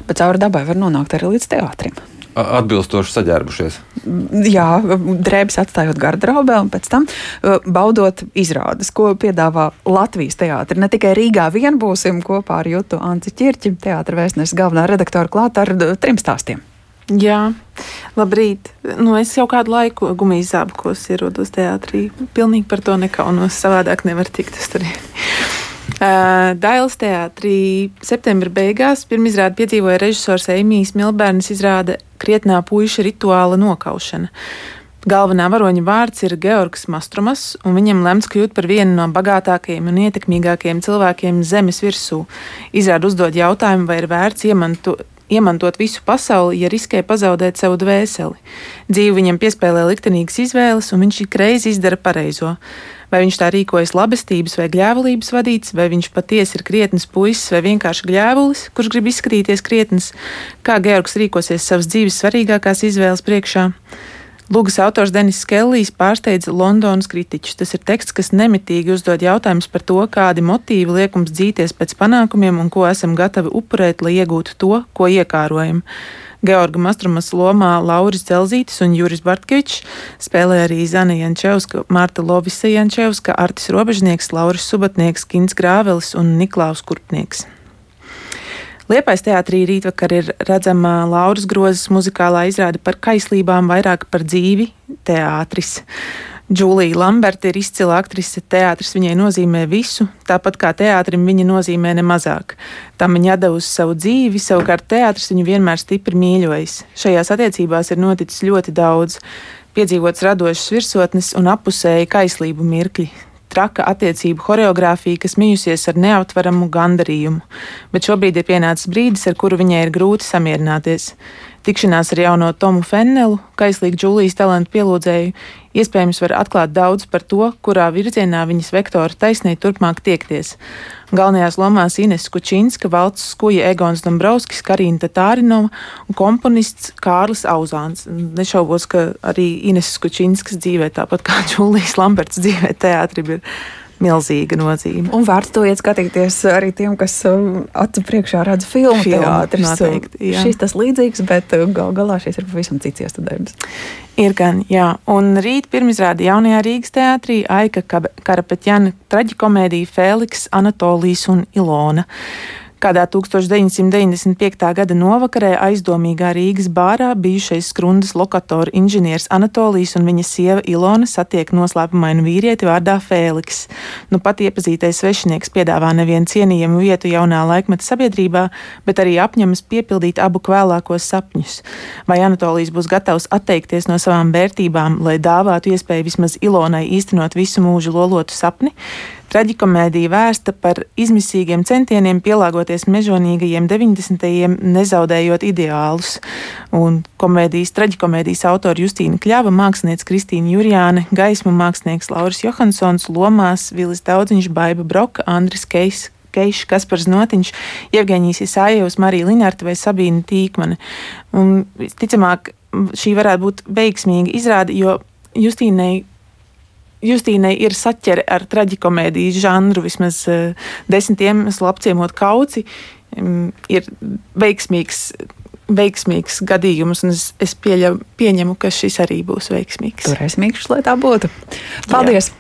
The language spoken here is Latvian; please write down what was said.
pa cauri dabai var nonākt arī līdz teātrim. Atbilstoši saģērbušies. Jā, drēbes atstājot garderobē un pēc tam baudot izrādes, ko piedāvā Latvijas teātri. Ne tikai Rīgā vien būsim kopā ar Jutu Anci Ķirķi, teātra vēstneses galvenā redaktora klāt ar 3 stāstiem. Jā, labrīt. Es jau kādu laiku gumijas zābakos ierodos teātrī. Pilnīgi par to nekaunos, savādāk nevar tikt uz turieni. Dailes teātrī septembra beigās pirmizrādi piedzīvoja režisors Eimijs Milbērnis izrāde Krietnā puiša rituāla nokaušana. Galvenā varoņa vārds ir Georgs Mastromas, un viņam lemts kļūt par vienu no bagātākajiem un ietekmīgākajiem cilvēkiem zemes virsū. Izrāde uzdod jautājumu, vai ir vērts iemantot visu pasauli, ja riskē pazaudēt savu dvēseli. Dzīve viņam piespēlē liktenīgas izvēles, un viņš ikreiz izdara pareizo. Vai viņš tā rīkojas labestības vai gļēvulības vadīts, vai viņš patiesi ir krietns puisis vai vienkārši gļēvulis, kurš grib izskatīties krietns, kā Georgs rīkosies savas dzīves svarīgākās izvēles priekšā. Lūgas autors Denis Kellijs pārsteidza Londonas kritiķus. Tas ir teksts, kas nemitīgi uzdod jautājumus par to, kādi motīvi liek mums dzīties pēc panākumiem un ko esam gatavi upurēt, lai iegūtu to, ko iekārojam. Georga Mastromas lomā Lauris Dzelzītis un Juris Bartkevičs spēlē arī Zana Jančevska, Marta Lovisa Jančevska, Artis Robežnieks, Lauris Subatnieks, Gins Grāvelis un Niklaus Kurpnieks. Liepājas teātrī rītvakar ir redzama Lauras Grozes muzikālā izrāde par kaislībām, vairāk par dzīvi teātris. Džūlija Lamberta ir izcila aktrise, teātris viņai nozīmē visu, tāpat kā teātrim viņa nozīmē nemazāk. Tam viņa devusi savu dzīvi, savukārt teātris viņu vienmēr stipri mīļojis. Šajās attiecībās ir noticis ļoti daudz, piedzīvots radošas virsotnes un appusēji kaislību mirkļi. Traka attiecību horeogrāfija, kas mijusies ar neaptveramu gandarījumu, bet šobrīd ir pienācis brīdis, ar kuru viņai ir grūti samierināties. Tikšanās ar jauno Tomu Fennelu, kaislīgu Džūlijas talantu pielūdzēju, iespējams var atklāt daudz par to, kurā virzienā viņas vektora taisnei turpmāk tiekties. Galvenajās lomās Ines Kučinska, valsts skuja Egons Dombrovskis, Karina Tatārinova un komponists Kārlis Auzāns. Nešaubos, ka arī Ines Kučinskas dzīvē, tāpat kā Džūlijas Lamberts dzīvē, teātrim ir milzīga nozīme. Un vērts to iet skatīties arī tiem, kas acu priekšā redz filmu teātris. Noteikti, jā. Šis tas līdzīgs, bet galā šis ir pavisam cits iestudējums. Ir gan, jā. Un rīt pirmizrāde Jaunajā Rīgas teātrī Aika Karapetjana traģikomēdija Fēliks, Anatolijs un Ilona. Kādā 1995. gada novakarē aizdomīgā Rīgas bārā bijušais Skrundas lokatora inženieris Anatolijs un viņa sieva Ilona satiek noslēpumainu vīrieti vārdā Fēliks. Nu pat iepazītais svešinieks piedāvā nevienu cienījamu vietu jaunā laikmeta sabiedrībā, bet arī apņemas piepildīt abu kvēlākos sapņus. Vai Anatolijs būs gatavs atteikties no savām vērtībām, lai dāvātu iespēju vismaz Ilonai īstenot visu mūžu lolotu sapni? Traģikomēdija vērsta par izmisīgiem centieniem pielāgoties mežonīgajiem 90. nezaudējot ideālus. Un traģikomēdijas autori Justīna Kļava, mākslinieca Kristīna Jurjāne, gaismu mākslinieks Lauris Johansons, lomās Vilis Daudziņš, Baiba Broka, Andris Keišs, Kaspars Notiņš, Jevgeņijs Isājevs, Marija Linarta vai Sabīna Tīkmane. Un, ticamāk, šī varētu būt veiksmīga izrāde, jo Justīnai ir saķere ar traģikomēdijas žanru, vismaz 10 iemeslu apciemot Kauci, ir veiksmīgs gadījums, un es pieņemu, ka šis arī būs veiksmīgs. Turēsim mīkšus, lai tā būtu. Paldies! Jā.